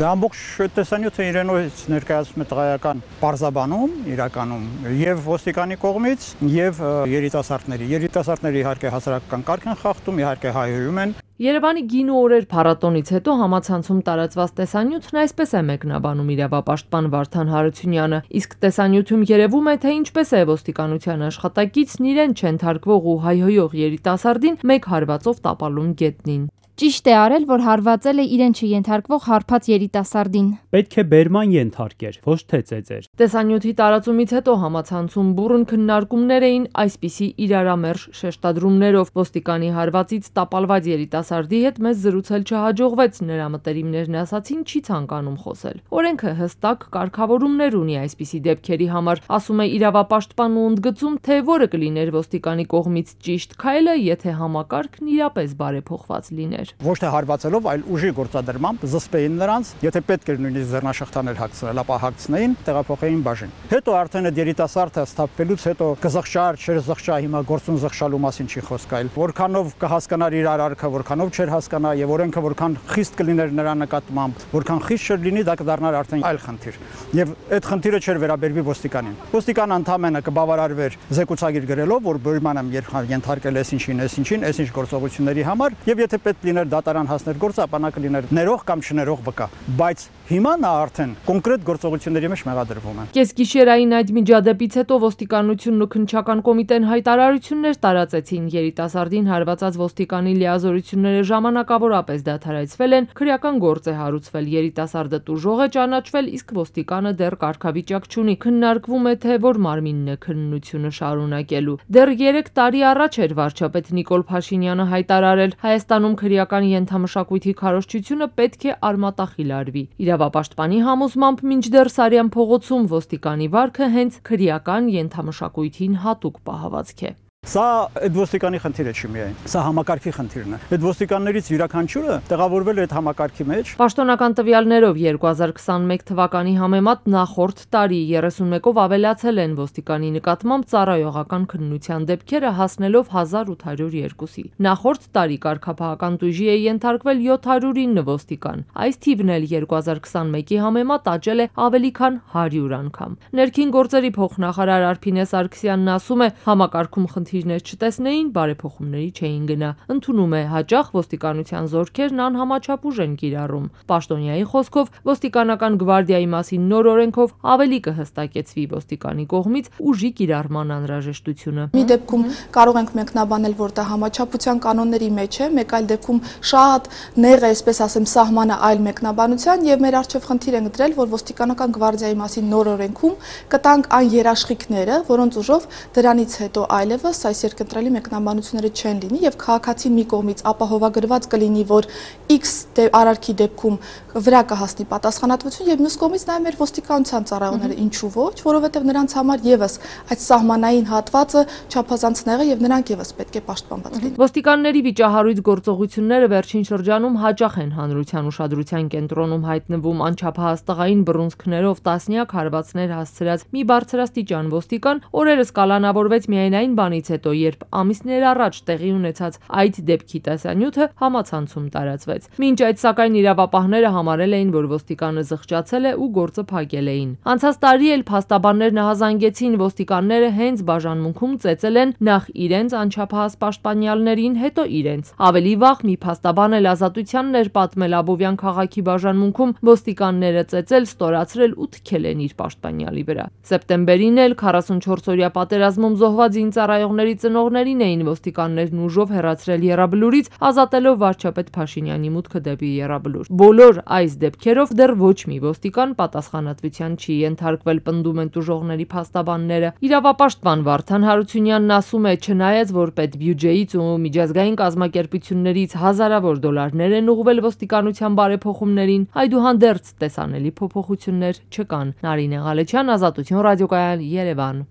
Ամբողջ տեսանյութը իրենից ներկայացնում է տղայական պարզաբանում իրականում եւ ոստիկանի կողմից եւ երիտասարդների իհարկե հասարակական կարգ են խախտում, իհարկե հայհոյում են։ Երևանի գինու օրեր փառատոնից հետո համացանցում տարածված տեսանյութն այսպես է մեկնաբանում իրավապաշտպան Վարդան Հարությունյանը, իսկ տեսանյութում երևում է, թե ինչպես է ոստիկանության աշխատակիցն իրեն չենթարկվող ու հայհոյող երիտասարդին մեկ հարվածով տապալում գետնին։ Ճիշտ է արել, որ հարվածել է իրեն չենթարկվող հարբած երիտասարդին։ Պետք է բերման ենթարկեր, ոչ թե ծեծեր։ Տեսանյութի տարածումից հետո համացանցում բուռն քննարկումներ էին այսպիսի իրարամերժ շեշտադրումներով։ Ոստիկանի հարվածից տապալված երիտասարդի հետ մեզ զրուցել չհաջողվեց, նրա մտերիմներն ասացին չի ցանկանում խոսել։ Օրենքը հստակ կարգավորումներ ունի այսպիսի դեպքերի համար, ասում է իրավապաշտպանն ու ընդգծում, թե որը կլիներ ոստիկանի կողմից ճիշտ քայլը, եթե համակարգն իրապես բարեփոխված լիներ։ Ոչ թե հարվածելով, այլ ուժի գործադրմամբ զսպեին նրանց, եթե պետք էր նույնիսկ ձեռնաշղթաներ հագցնել, ապա հագցնեին, տեղափոխեին բաժին։ Հետո արդեն այդ երիտասարդը սթափվելուց հետո կզղջար, չզղջա, հիմա գործուն զղջալու մասին չի խոսք, այլ որքանով կհասկանար իր արարքը, որքանով չէր հասկանա եւ օրենքը որքան խիստ կլիներ նրա նկատմամբ, որքան խիստ չլինի, դա կդառնար արդեն այլ խնդիր։ Եվ այդ խնդիրը չէր վերաբերվի ոստիկանին։ Ոստիկանը ընդամենը կբավարարվեր զեկուցագիր գրելով, որ բերման եմ ենթարկել այսինչին, այսինչ գործողությունների համար, եւ եթե պետք լիներ դատարան հասներ գործը, ապա նա կլիներ ներող կամ չներող վկա, բայց հիմա նա արդեն կոնկրետ գործողությունների մեջ մեղադրվում է։ Կեսգիշերային այդ միջադեպից հետո ոստիկանությունն ու քննչական կոմիտեն հայտարարություններ տարածեցին, երիտասարդին հարվածած ոստիկանի լիազորությունները ժամանակավորապես դադարեցվել են, քրեական գործ է հարուցվել, երիտասարդը տուժող է ճանաչվել, իսկ ոստիկանը դեռ կարգավիճակ չունի, քննարկվում է, թե որ մարմինն է քննությունը շարունակելու։ Դեռ 3 տարի առաջ էր վարչապետ Նիկոլ Փաշինյանը հայտարարել, Հայաստանում քրեական ենթամշակույթի քարոզչությունը պետք է արմատախիլ արվի։ Իրավապաշտպանի համոզմամբ մինչդեռ Սարյան փողոցում ոստիկանի վարքը հենց քրեական ենթամշակույթին հատուկ պահվածք է։ Սա այդ ոստիկանի խնդիրը չի միայն, սա համակարգի խնդիրն է։ Այդ ոստիկաններից յուրաքանչյուրը տեղավորվել է այդ համակարգի մեջ։ Պաշտոնական տվյալներով 2021 թվականի համեմատ նախորդ տարի 31-ով ավելացել են ոստիկանի նկատմամբ ծառայողական քննության դեպքերը, հասնելով 1802-ի։ Նախորդ տարի կարգապահական տույժի է ենթարկվել 709 ոստիկան։ Այս թիվն էլ 2021-ի համեմատ աճել է ավելի քան 100 անգամ։ Ներքին գործերի փոխնախարար Արփինե Սարգսյանն ասում է, համակարգում խնդիրներ չտեսնեին, բարեփոխումների չէին գնա։ Ընդունում է հաճախ ոստիկանության զորքերն անհամաչափ ուժ են կիրառում։ Պաշտոնյայի խոսքով ոստիկանական գվարդիայի մասին նոր օրենքով ավելի կհստակեցվի ոստիկանի կողմից ուժի կիրառման անհրաժեշտությունը։ Մի դեպքում կարող ենք մեկնաբանել, որ դա համաչափության կանոնների մեջ է, մեկ այլ դեպքում շատ նեղ է, այսպես ասեմ, սահմանը այլ մեկնաբանության եւ մեր առջեւ խնդիր ենք դրել, որ ոստիկանական գվարդիայի մասին նոր օրենքում կտանք այն երաշխիքները, որոնց ուժով դրանից հետո այլևս այս երկընտրելի մեկնաբանությունները չեն լինի եւ քաղաքացին մի կողմից ապահովագրված կլինի, որ X արարքի դեպքում վրա կհասնի պատասխանատվություն եւ մյուս կողմից նաեւ մեր ոստիկանության ծառայողները ինչու ոչ, որովհետեւ նրանց համար եւս այդ սահմանային հատվածը չափազանց նեղ է եւ նրանք եւս պետք է պաշտպանված լինեն։ Ոստիկանների վիճահարույց գործողությունները վերջին շրջանում հաճախ են հանրության ուշադրության կենտրոնում հայտնվում անչափահաս տղային բռունցքներով տասնյակ հարվածներ հասցրած մի բարձրաստիճան ոստիկան օրերս կալանավորվեց միայն այն բանից հետո, երբ ամիսներ առաջ տեղի ունեցած այդ դեպքի տեսանյութը համացանցում տարածվեց։ Մինչ այդ սակայն իրավապահները համարել էին, որ ոստիկանը զղջացել է ու գործը փակել էին։ Անցած տարի էլ փաստաբաններն ահազանգեցին ոստիկանները հենց բաժանմունքում ծեծել են նախ իրենց անչափահաս պաշտպանյալներին, հետո իրենց։ Ավելի վաղ մի փաստաբան էլ ազատությանն էր պատմել Աբովյան քաղաքի բաժանմունքում ոստիկանները ծեծել, ստորացրել ու թքել են իր պաշտպանյալի վրա։ Սեպտեմբերին էլ 44-օրյա պատերազմում զոհված ծառայողների ծնողներին էին ոստիկաններն ուժով հեռացրել Եռաբլուրից, ազատելով վարչապետ Փաշինյանի մուտքը դեպի Եռաբլուր։ Բոլոր այս դեպքերով դեռ ոչ մի ոստիկան պատասխանատվության չի ենթարկվել, պնդում են տուժողների փաստաբանները։ Իրավապաշտպան Վարդան Հարությունյանն ասում է, չնայած որ պետբյուջեից ու միջազգային կազմակերպություններից հազարավոր դոլարներ են ուղղվել ոստիկանության բարեփոխումներին, այդուհանդերձ տեսանելի փոփոխություններ չկան։ Նարինե Ղալեչյան, Ազատություն ռադիոկայան, Երևան։